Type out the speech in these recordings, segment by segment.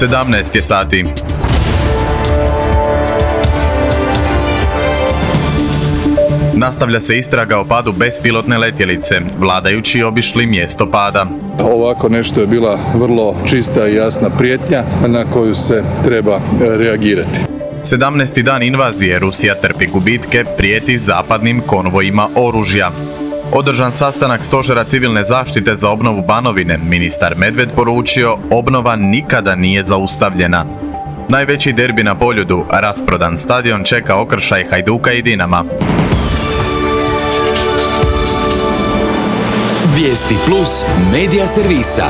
17 je sati. Nastavlja se istraga o padu bespilotne letjelice. Vladajući obišli mjesto pada. Ovako nešto je bila vrlo čista i jasna prijetnja na koju se treba reagirati. 17. dan invazije Rusija trpi gubitke, prijeti zapadnim konvojima oružja. Održan sastanak Stožera civilne zaštite za obnovu Banovine, ministar Medved poručio obnova nikada nije zaustavljena. Najveći derbi na Poljudu, rasprodan stadion čeka okršaj Hajduka i Dinama. Vijesti plus medija servisa.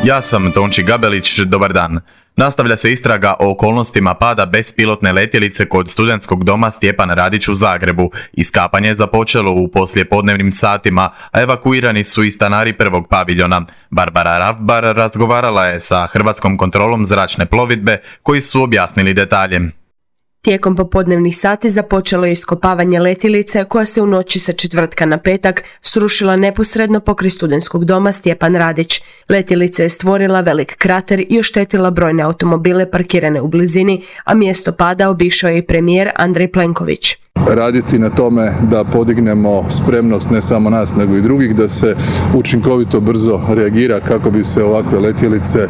Ja sam Tonči Gabelić, dobar dan. Nastavlja se istraga o okolnostima pada bespilotne letjelice kod studentskog doma Stjepan Radić u Zagrebu. Iskapanje je započelo u poslijepodnevnim satima, a evakuirani su i stanari prvog paviljona. Barbara Ravbar razgovarala je sa Hrvatskom kontrolom zračne plovidbe koji su objasnili detalje. Tijekom popodnevnih sati započelo je iskopavanje letjelice koja se u noći sa četvrtka na petak srušila neposredno pokraj studentskog doma Stjepan Radić. Letjelica je stvorila velik krater i oštetila brojne automobile parkirane u blizini, a mjesto pada obišao je i premijer Andrej Plenković. Raditi na tome da podignemo spremnost ne samo nas nego i drugih, da se učinkovito brzo reagira kako bi se ovakve letjelice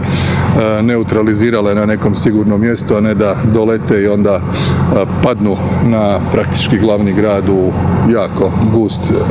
neutralizirale na nekom sigurnom mjestu, a ne da dolete i onda padnu na praktički glavni grad u jako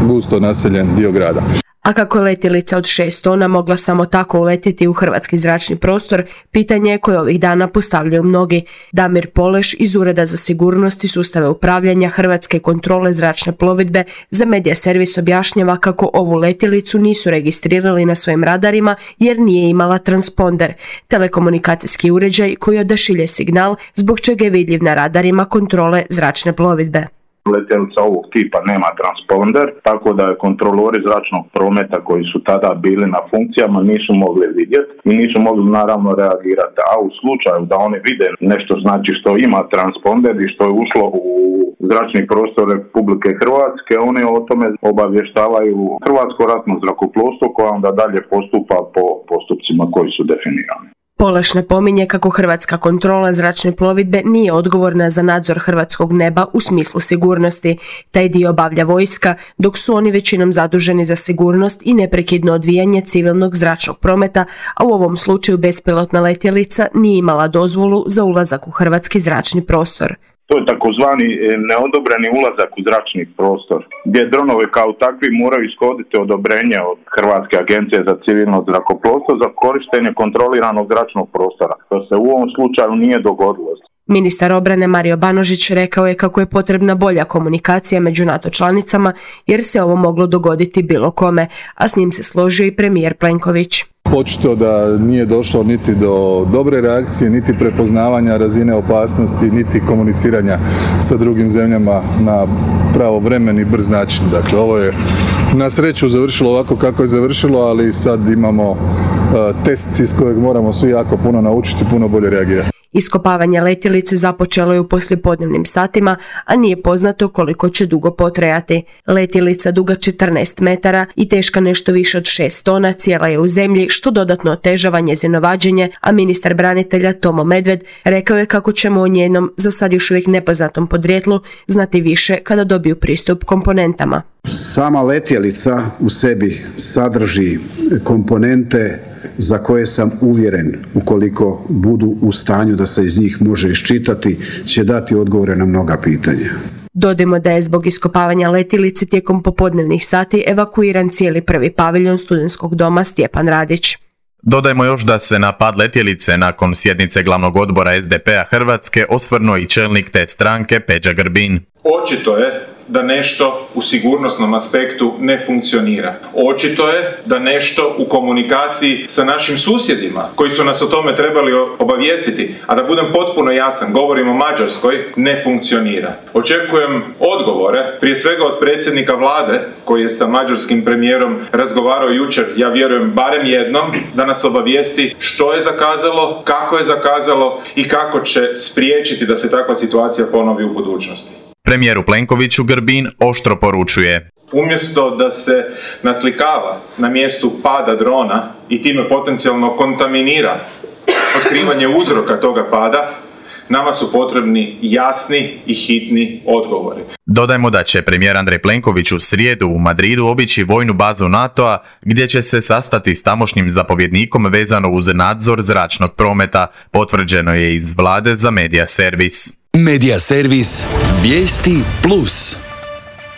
gusto naseljen dio grada. A kako je letjelica od 6 tona mogla samo tako uletiti u hrvatski zračni prostor, pitanje je koje ovih dana postavljaju mnogi. Damir Poleš iz Ureda za sigurnost i sustave upravljanja Hrvatske kontrole zračne plovidbe za Medija servis objašnjava kako ovu letjelicu nisu registrirali na svojim radarima jer nije imala transponder, telekomunikacijski uređaj koji odašilje signal zbog čega je vidljiv na radarima kontrole zračne plovidbe. Letjelica ovog tipa nema transponder, tako da je kontrolori zračnog prometa koji su tada bili na funkcijama nisu mogli vidjeti i nisu mogli naravno reagirati. A u slučaju da oni vide nešto znači što ima transponder i što je ušlo u zračni prostor Republike Hrvatske, oni o tome obavještavaju Hrvatsko ratno zrakoplovstvo koje onda dalje postupa po postupcima koji su definirani. Poleš napominje kako Hrvatska kontrola zračne plovidbe nije odgovorna za nadzor hrvatskog neba u smislu sigurnosti. Taj dio obavlja vojska, dok su oni većinom zaduženi za sigurnost i neprekidno odvijanje civilnog zračnog prometa, a u ovom slučaju bespilotna letjelica nije imala dozvolu za ulazak u hrvatski zračni prostor. To je takozvani neodobreni ulazak u zračni prostor, gdje dronovi kao takvi moraju ishoditi odobrenje od Hrvatske agencije za civilno zrakoplovstvo za korištenje kontroliranog zračnog prostora, što se u ovom slučaju nije dogodilo. Ministar obrane Mario Banožić rekao je kako je potrebna bolja komunikacija među NATO članicama jer se ovo moglo dogoditi bilo kome, a s njim se složio i premijer Plenković. Očito da nije došlo niti do dobre reakcije, niti prepoznavanja razine opasnosti, niti komuniciranja sa drugim zemljama na pravovremeni brz način. Dakle, ovo je na sreću završilo ovako kako je završilo, ali sad imamo test iz kojeg moramo svi jako puno naučiti, puno bolje reagirati. Iskopavanje letjelice započelo je u poslijepodnevnim satima, a nije poznato koliko će dugo potrajati. Letjelica duga 14 metara i teška nešto više od 6 tona cijela je u zemlji, što dodatno otežava njezino vađenje, a ministar branitelja Tomo Medved rekao je kako ćemo o njenom, za sad još uvijek nepoznatom podrijetlu, znati više kada dobiju pristup komponentama. Sama letjelica u sebi sadrži komponente za koje sam uvjeren, ukoliko budu u stanju da se iz njih može iščitati, će dati odgovore na mnoga pitanja. Dodajmo da je zbog iskopavanja letjelice tijekom popodnevnih sati evakuiran cijeli prvi paviljon studentskog doma Stjepan Radić. Dodajmo još da se na pad letjelice nakon sjednice glavnog odbora SDP-a Hrvatske osvrnuo i čelnik te stranke Peđa Grbin. Očito je da nešto u sigurnosnom aspektu ne funkcionira. Očito je da nešto u komunikaciji sa našim susjedima, koji su nas o tome trebali obavijestiti, a da budem potpuno jasan, govorim o Mađarskoj, ne funkcionira. Očekujem odgovore, prije svega od predsjednika vlade, koji je sa mađarskim premijerom razgovarao jučer, ja vjerujem barem jednom, da nas obavijesti što je zakazalo, kako je zakazalo i kako će spriječiti da se takva situacija ponovi u budućnosti. Premijeru Plenkoviću Grbin oštro poručuje: umjesto da se naslikava na mjestu pada drona i time potencijalno kontaminira otkrivanje uzroka toga pada, nama su potrebni jasni i hitni odgovori. Dodajmo da će premijer Andrej Plenković u srijedu u Madridu obići vojnu bazu NATO-a gdje će se sastati s tamošnjim zapovjednikom vezano uz nadzor zračnog prometa, potvrđeno je iz vlade za Media Servis. Media Servis, vijesti plus.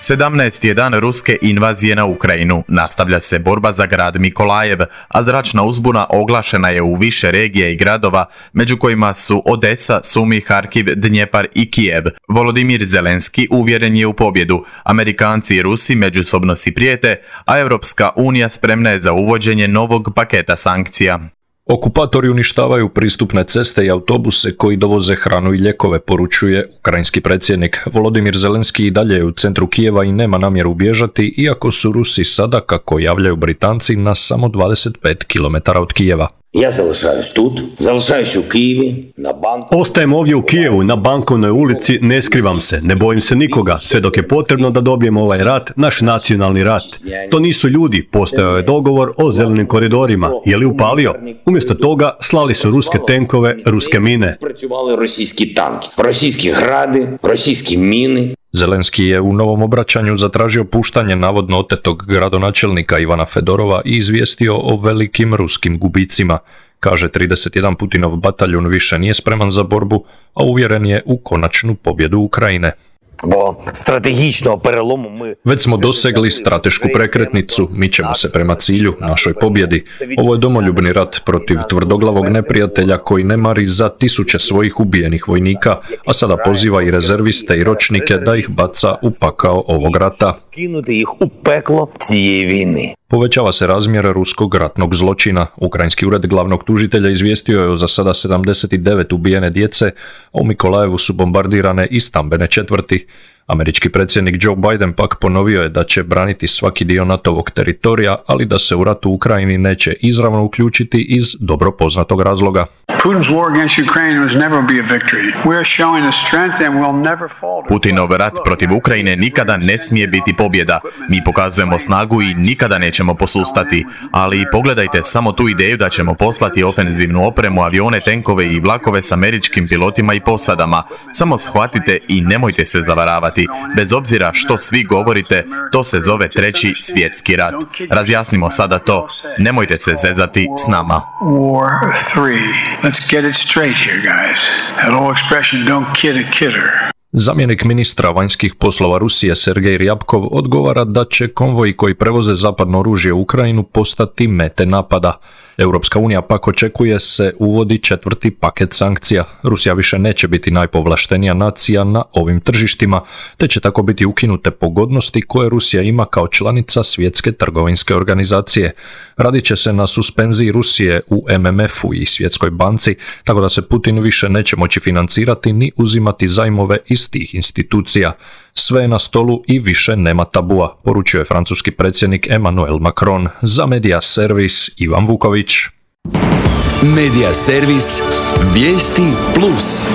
17. je dan ruske invazije na Ukrajinu. Nastavlja se borba za grad Mikolajev, a zračna uzbuna oglašena je u više regija i gradova, među kojima su Odesa, Sumi, Harkiv, Dnjepar i Kijev. Volodimir Zelenski uvjeren je u pobjedu. Amerikanci i Rusi međusobno si prijete, a Europska unija spremna je za uvođenje novog paketa sankcija. Okupatori uništavaju pristupne ceste i autobuse koji dovoze hranu i lijekove, poručuje ukrajinski predsjednik. Volodimir Zelenski i dalje je u centru Kijeva i nema namjeru bježati, iako su Rusi sada, kako javljaju Britanci, na samo 25 km od Kijeva. Ja залишаюсь u Kijevi, na banku. Ostajem ovdje u Kijevu, na Bankovnoj ulici, ne skrivam se, ne bojim se nikoga, sve dok je potrebno da dobijemo ovaj rat, naš nacionalni rat. To nisu ljudi, postojao je dogovor o zelenim koridorima, je li upalio? Umjesto toga slali su ruske tenkove, ruske mine. Російські танки, російські гради, російські міни. Zelenski je u novom obraćanju zatražio puštanje navodno otetog gradonačelnika Ivana Fedorova i izvijestio o velikim ruskim gubicima. Kaže, 31 Putinov bataljun više nije spreman za borbu, a uvjeren je u konačnu pobjedu Ukrajine. Već smo dosegli stratešku prekretnicu, mi ćemo se prema cilju, našoj pobjedi. Ovo je domoljubni rat protiv tvrdoglavog neprijatelja koji ne mari za tisuće svojih ubijenih vojnika, a sada poziva i rezerviste i ročnike da ih baca u pakao ovog rata. Povećava se razmjer ruskog ratnog zločina. Ukrajinski ured glavnog tužitelja izvijestio je o za sada 79 ubijene djece, a u Mikolajevu su bombardirane i stambene četvrti. Američki predsjednik Joe Biden pak ponovio je da će braniti svaki dio NATO-vog teritorija, ali da se u ratu u Ukrajini neće izravno uključiti iz dobro poznatog razloga. Putinov rat protiv Ukrajine nikada ne smije biti pobjeda. Mi pokazujemo snagu i nikada nećemo posustati. Ali pogledajte samo tu ideju da ćemo poslati ofenzivnu opremu, avione, tenkove i vlakove s američkim pilotima i posadama. Samo shvatite i nemojte se zavaravati. Bez obzira što svi govorite, to se zove Treći svjetski rat. Razjasnimo sada to. Nemojte se zezati s nama. Zamjenik ministra vanjskih poslova Rusije Sergej Ryabkov odgovara da će konvoji koji prevoze zapadno oružje u Ukrajinu postati mete napada. Europska unija pak očekuje se uvodi 4. paket sankcija. Rusija više neće biti najpovlaštenija nacija na ovim tržištima, te će tako biti ukinute pogodnosti koje Rusija ima kao članica Svjetske trgovinske organizacije. Radit će se na suspenziji Rusije u MMF-u i Svjetskoj banci, tako da se Putin više neće moći financirati ni uzimati zajmove iz tih institucija. Sve je na stolu i više nema tabua, poručio je francuski predsjednik Emmanuel Macron. Za Media Servis Ivan Vuković. Media Servis, vijesti plus.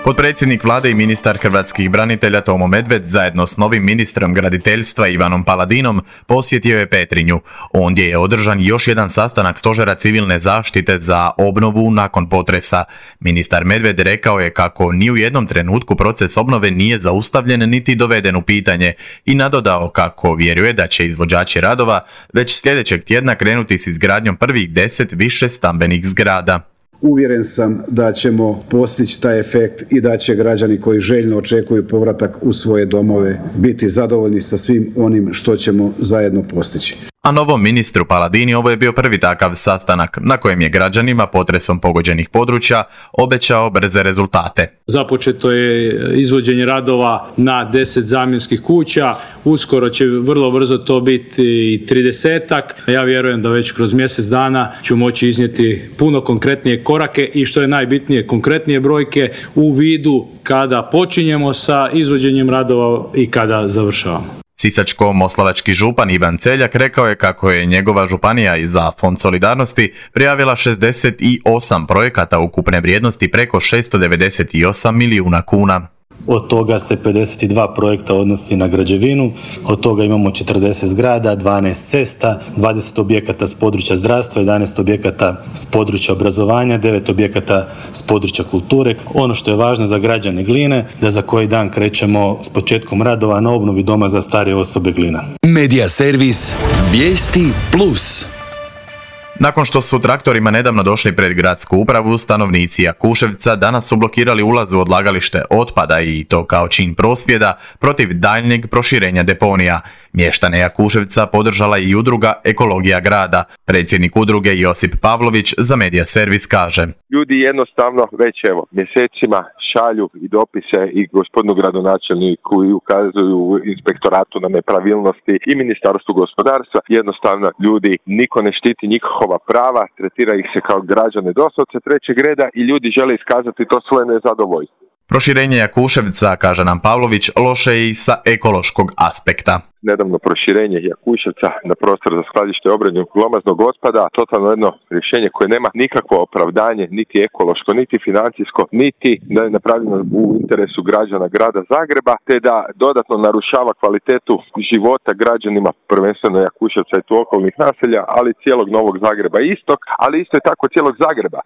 Potpredsjednik vlade i ministar hrvatskih branitelja Tomo Medved zajedno s novim ministrom graditeljstva Ivanom Paladinom posjetio je Petrinju. Ondje je održan još jedan sastanak Stožera civilne zaštite za obnovu nakon potresa. Ministar Medved rekao je kako ni u jednom trenutku proces obnove nije zaustavljen niti doveden u pitanje i nadodao kako vjeruje da će izvođači radova već sljedećeg tjedna krenuti s izgradnjom prvih 10 više stambenih zgrada. Uvjeren sam da ćemo postići taj efekt i da će građani koji željno očekuju povratak u svoje domove biti zadovoljni sa svim onim što ćemo zajedno postići. A novom ministru Paladini ovo je bio prvi takav sastanak na kojem je građanima potresom pogođenih područja obećao brze rezultate. Započeto je izvođenje radova na 10 zamjenskih kuća, uskoro će vrlo brzo to biti i 30-ak. Ja vjerujem da već kroz mjesec dana ću moći iznijeti puno konkretnije korake i što je najbitnije konkretnije brojke u vidu kada počinjemo sa izvođenjem radova i kada završavamo. Sisačko-moslavački župan Ivan Celjak rekao je kako je njegova županija i za Fond solidarnosti prijavila 68 projekata ukupne vrijednosti preko 698 milijuna kuna. Od toga se 52 projekta odnosi na građevinu, od toga imamo 40 zgrada, 12 cesta, 20 objekata s područja zdravstva, 11 objekata s područja obrazovanja, 9 objekata s područja kulture. Ono što je važno za građane Gline, da za koji dan krećemo s početkom radova na obnovi doma za starije osobe Glina. Medija servis Vijesti Plus. Nakon što su traktorima nedavno došli pred gradsku upravu, stanovnici Jakuševca danas su blokirali ulaz u odlagalište otpada i to kao čin prosvjeda protiv daljnjeg proširenja deponija. Mještane Jakuševca podržala i udruga Ekologija grada. Predsjednik udruge Josip Pavlović za Medija servis kaže: Ljudi jednostavno već mjesecima šalju i dopise i gospodinu gradonačelniku i ukazuju inspektoratu na nepravilnosti i ministarstvu gospodarstva. Jednostavno ljudi, niko ne štiti njihova prava, tretira ih se kao građane doslovce trećeg reda i ljudi žele iskazati to svoje nezadovoljstvo. Proširenje Jakuševca, kaže nam Pavlović, loše je i sa ekološkog aspekta. Nedavno proširenje Jakuševca na prostor za skladište i obradu glomaznog otpada, totalno jedno rješenje koje nema nikakvo opravdanje, niti ekološko, niti financijsko, niti da je napravljeno u interesu građana grada Zagreba, te da dodatno narušava kvalitetu života građanima, prvenstveno Jakuševca i tu okolnih naselja, ali cijelog Novog Zagreba istok, ali isto je tako cijelog Zagreba.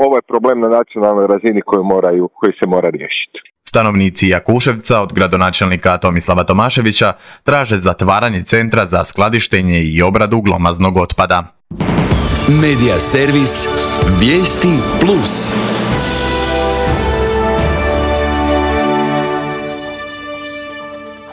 Ovo je problem na nacionalnoj razini koji se mora riješiti. Stanovnici Jakuševca od gradonačelnika Tomislava Tomaševića traže zatvaranje centra za skladištenje i obradu glomaznog otpada. Medija servis Vijesti Plus.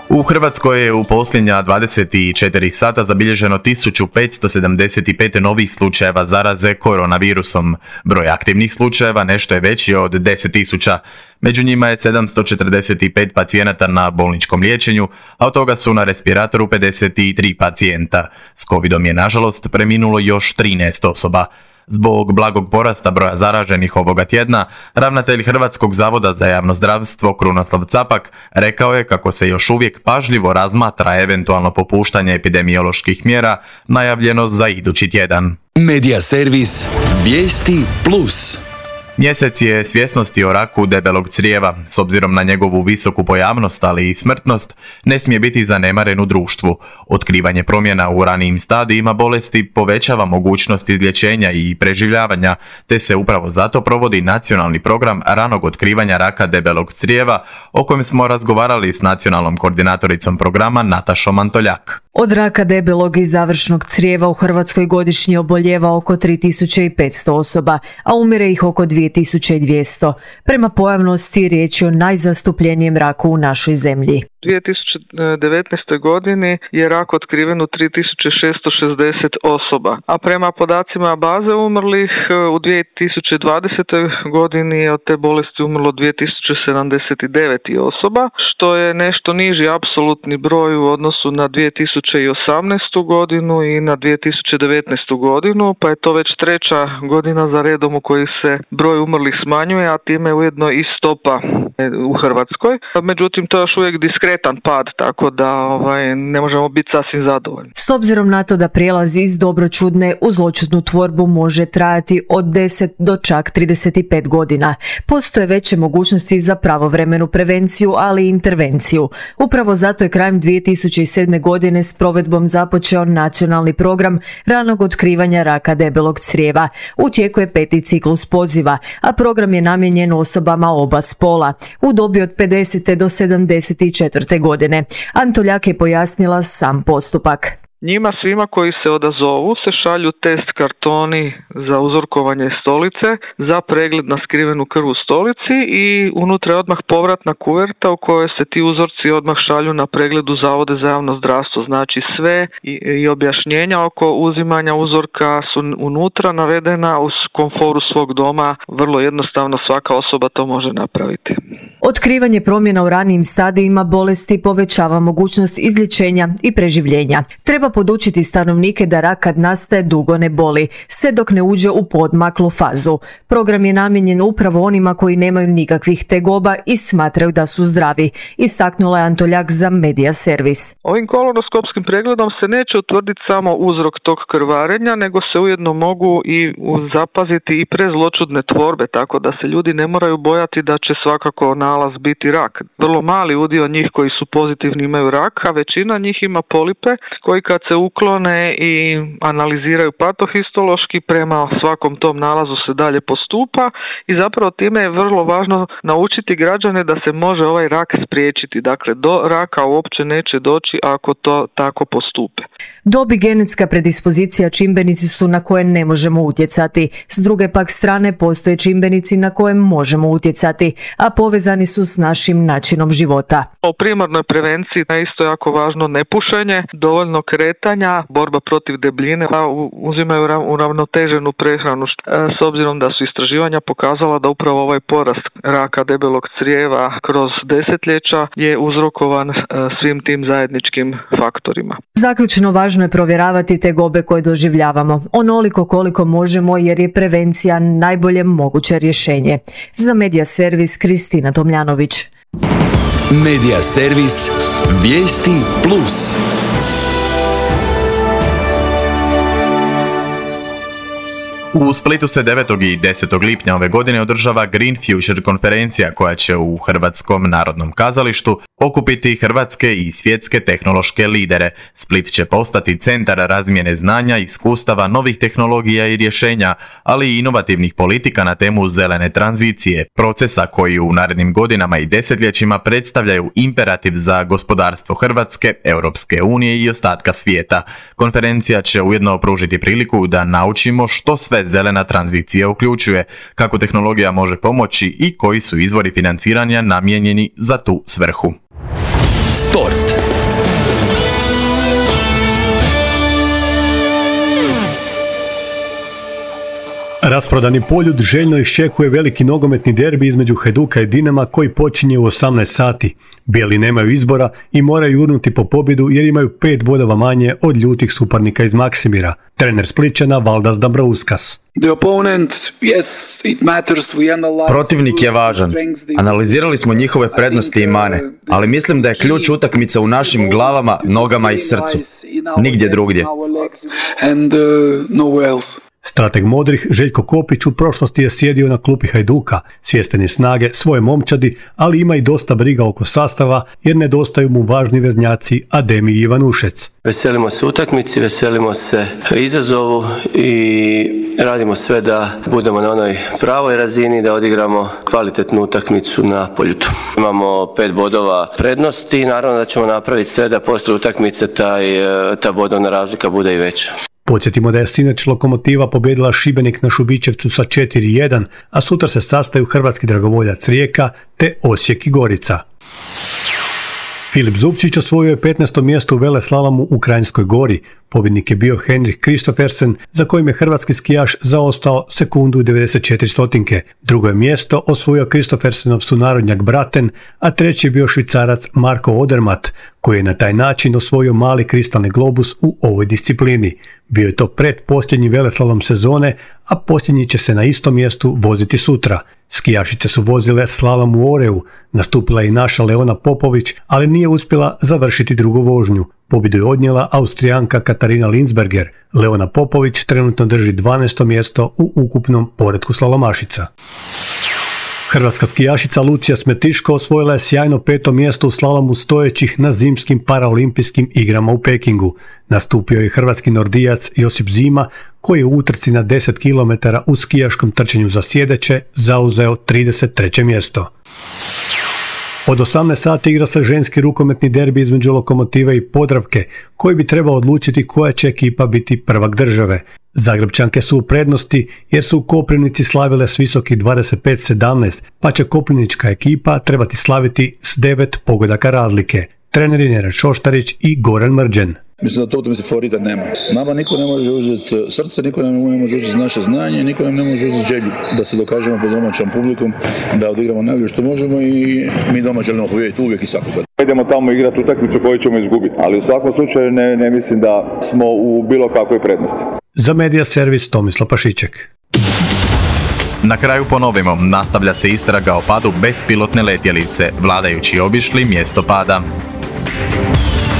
U Hrvatskoj je u posljednja 24 sata zabilježeno 1575 novih slučajeva zaraze koronavirusom. Broj aktivnih slučajeva nešto je veći od 10.000. Među njima je 745 pacijenata na bolničkom liječenju, a od toga su na respiratoru 53 pacijenta. S covidom je nažalost preminulo još 13 osoba. Zbog blagog porasta broja zaraženih ovoga tjedna, ravnatelj Hrvatskog zavoda za javno zdravstvo Krunoslav Capak rekao je kako se još uvijek pažljivo razmatra eventualno popuštanje epidemioloških mjera najavljeno za idući tjedan. Medija servis Vijesti Plus. Mjesec je svjesnosti o raku debelog crijeva. S obzirom na njegovu visoku pojavnost, ali i smrtnost, ne smije biti zanemaren u društvu. Otkrivanje promjena u ranijim stadijima bolesti povećava mogućnost izlječenja i preživljavanja, te se upravo zato provodi nacionalni program ranog otkrivanja raka debelog crijeva, o kojem smo razgovarali s nacionalnom koordinatoricom programa Natašom Antoljak. Od raka debelog i završnog crijeva u Hrvatskoj godišnje oboljeva oko 3500 osoba, a umire ih oko 2200. Prema pojavnosti riječ je o najzastupljenijem raku u našoj zemlji. U 2019. godini je rak otkriven u 3660 osoba, a prema podacima baze umrlih u 2020. godini je od te bolesti umrlo 2079 osoba, što je nešto niži apsolutni broj u odnosu na 2018. godinu i na 2019. godinu, pa je to već treća godina za redom u kojoj se broj umrlih smanjuje, a time ujedno i stopa u Hrvatskoj. Međutim, to je još uvijek diskretan pad, tako da ne možemo biti sasvim zadovoljni. S obzirom na to da prijelaz iz dobročudne u zloćudnu tvorbu može trajati od 10 do čak 35 godina, postoje veće mogućnosti za pravovremenu prevenciju, ali i intervenciju. Upravo zato je krajem 2007. godine s provedbom započeo nacionalni program ranog otkrivanja raka debelog crijeva. U tijeku je 5. ciklus poziva, a program je namijenjen osobama oba spola u dobi od 50. do 74. godine. Antoljak je pojasnila sam postupak. Njima svima koji se odazovu se šalju test kartoni za uzorkovanje stolice, za pregled na skrivenu krv u stolici i unutra je odmah povratna kuverta u kojoj se ti uzorci odmah šalju na pregled u Zavode za javno zdravstvo. Znači sve i objašnjenja oko uzimanja uzorka su unutra navedena uz komforu svog doma. Vrlo jednostavno svaka osoba to može napraviti. Otkrivanje promjena u ranijim stadijima bolesti povećava mogućnost izlječenja i preživljenja. Treba Treba podučiti stanovnike da rak kad nastaje dugo ne boli, sve dok ne uđe u poodmaklu fazu. Program je namijenjen upravo onima koji nemaju nikakvih tegoba i smatraju da su zdravi, istaknula je Antoljak za Media Servis. Ovim kolonoskopskim pregledom se neće utvrditi samo uzrok tog krvarenja, nego se ujedno mogu i zapaziti i prezločudne tvorbe, tako da se ljudi ne moraju bojati da će svakako nalaz biti rak. Vrlo mali udio njih koji su pozitivni imaju rak, a većina njih ima polipe koji kad se uklone i analiziraju patohistološki, prema svakom tom nalazu se dalje postupa i zapravo time je vrlo važno naučiti građane da se može ovaj rak spriječiti. Dakle, do raka uopće neće doći ako to tako postupe. Dob i genetska predispozicija čimbenici su na koje ne možemo utjecati. S druge pak strane postoje čimbenici na koje možemo utjecati, a povezani su s našim načinom života. O primarnoj prevenciji je isto jako važno nepušenje, dovoljno kretanja, borba protiv debljine, pa uzimaju uravnoteženu prehranu. S obzirom da su istraživanja pokazala da upravo ovaj porast raka debelog crijeva kroz desetljeća je uzrokovan svim tim zajedničkim faktorima. Zaključno, važno je provjeravati tegobe koje doživljavamo, onoliko koliko možemo jer je prevencija najbolje moguće rješenje. Za Media Servis Kristina Tomljanović. Media Servis Vijesti Plus. U Splitu se 9. i 10. lipnja ove godine održava Green Future konferencija koja će u Hrvatskom narodnom kazalištu okupiti hrvatske i svjetske tehnološke lidere. Split će postati centar razmjene znanja, iskustava, novih tehnologija i rješenja, ali i inovativnih politika na temu zelene tranzicije, procesa koji u narednim godinama i desetljećima predstavljaju imperativ za gospodarstvo Hrvatske, Europske unije i ostatka svijeta. Konferencija će ujedno pružiti priliku da naučimo što sve zelena tranzicija uključuje, kako tehnologija može pomoći i koji su izvori financiranja namijenjeni za tu svrhu. Sport. Rasprodani Poljud željno iščekuje veliki nogometni derbi između Hajduka i Dinama koji počinje u 18 sati. Bijeli nemaju izbora i moraju jurnuti po pobjedu jer imaju 5 bodova manje od ljutih suparnika iz Maksimira. Trener Splićana Valdas Dambrauskas. Protivnik je važan. Analizirali smo njihove prednosti i mane, ali mislim da je ključ utakmice u našim glavama, nogama i srcu. Nigdje drugdje. Strateg modrih Željko Kopić u prošlosti je sjedio na klupi Hajduka, svjestan je snage svoje momčadi, ali ima i dosta briga oko sastava jer nedostaju mu važni veznjaci Ademi i Ivanušec. Veselimo se utakmici, veselimo se izazovu i radimo sve da budemo na onoj pravoj razini, da odigramo kvalitetnu utakmicu na Poljudu. Imamo 5 bodova prednosti i naravno da ćemo napraviti sve da poslije utakmice ta bodovna razlika bude i veća. Podsjetimo da je sinoć Lokomotiva pobjedila Šibenik na Šubićevcu sa 4-1, a sutra se sastaju hrvatski dragovoljac Rijeka te Osijek i Gorica. Filip Zupčić osvojio je 15. mjesto u veleslalomu u Kranjskoj Gori. Pobjednik je bio Henrik Kristoffersen, za kojim je hrvatski skijaš zaostao sekundu i 94 stotinke. Drugo je mjesto osvojio Kristoffersenov sunarodnjak Braten, a treći je bio Švicarac Marko Odermatt, koji je na taj način osvojio mali kristalni globus u ovoj disciplini. Bio je to predposljednji veleslalom sezone, a posljednji će se na istom mjestu voziti sutra. Skijašice su vozile slalom u Oreu, nastupila je i naša Leona Popović, ali nije uspjela završiti drugu vožnju. Pobjedu je odnijela Austrijanka Katarina Linsberger. Leona Popović trenutno drži 12. mjesto u ukupnom poretku slalomašica. Hrvatska skijašica Lucija Smetiško osvojila je sjajno 5. mjesto u slalomu stojećih na zimskim paraolimpijskim igrama u Pekingu. Nastupio je hrvatski nordijac Josip Zima, koji je u utrci na 10 km u skijaškom trčanju za sjedeće zauzeo 33. mjesto. Od 18 sati igra se ženski rukometni derbi između Lokomotive i Podravke, koji bi trebao odlučiti koja će ekipa biti prvak države. Zagrebčanke su u prednosti jer su u Koprivnici slavile s visokih 25-17, pa će koprivnička ekipa trebati slaviti s 9 pogodaka razlike. Treneri Nenad Šoštarić i Goran Mrđen. Mislim da to utakmici favorita nema. Nama niko ne može uzeti srce, niko ne može uzeti naše znanje, niko nam ne može uzeti želju da se dokažemo pred domaćom publikom, da odigramo najbolje što možemo i mi doma želimo pobijediti uvijek i svakoga. Idemo tamo igrati utakmicu koju ćemo izgubiti, ali u svakom slučaju ne mislim da smo u bilo kakvoj prednosti. Za Medija servis Tomislav Pašiček. Na kraju ponovimo, nastavlja se istraga o padu bespilotne letjelice, vladajući obišli mjesto pada.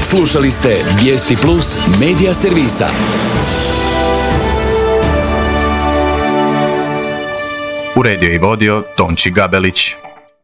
Slušali ste Vijesti Plus Medija servisa. Uredio i vodio Tonči Gabelić.